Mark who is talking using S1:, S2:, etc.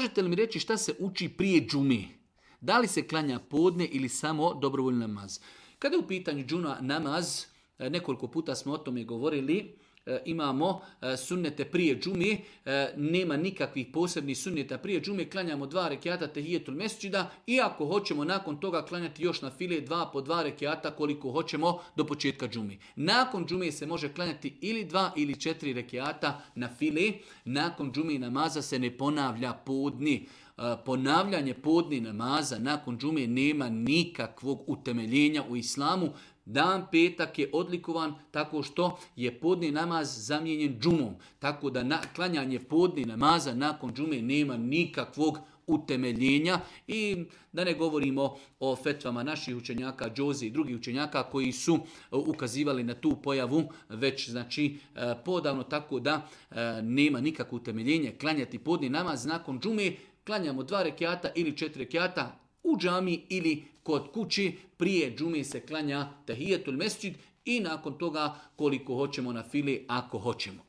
S1: možete li mi reći šta se uči prije džume? Da li se klanja podne ili samo dobrovoljni namaz? Kada je u pitanju džuma namaz, nekoliko puta smo o tome govorili, imamo sunnete prije džume, nema nikakvih posebnih sunneta prije džume, klanjamo 2 rekiata tehijetul mesdžida i ako hoćemo nakon toga klanjati još na file 2 po 2 rekiata koliko hoćemo do početka džume. Nakon džume se može klanjati ili 2 ili 4 rekiata na file, nakon džume namaza se ne ponavlja podni. Ponavljanje podni namaza nakon džume nema nikakvog utemeljenja u islamu. Dan petak je odlikovan tako što je podni namaz zamijenjen džumom. Tako da klanjanje podni namaza nakon džume nema nikakvog utemeljenja i da ne govorimo o fetvama naših učenjaka, džozi i drugih učenjaka koji su ukazivali na tu pojavu već znači podavno, tako da nema nikakvo utemeljenje klanjati podni namaz nakon džume. Klanjamo 2 rekiata ili 4 rekiata u džami ili kod kući. Prije džume se klanja tahijetul mesdžid i nakon toga koliko hoćemo na fili ako hoćemo.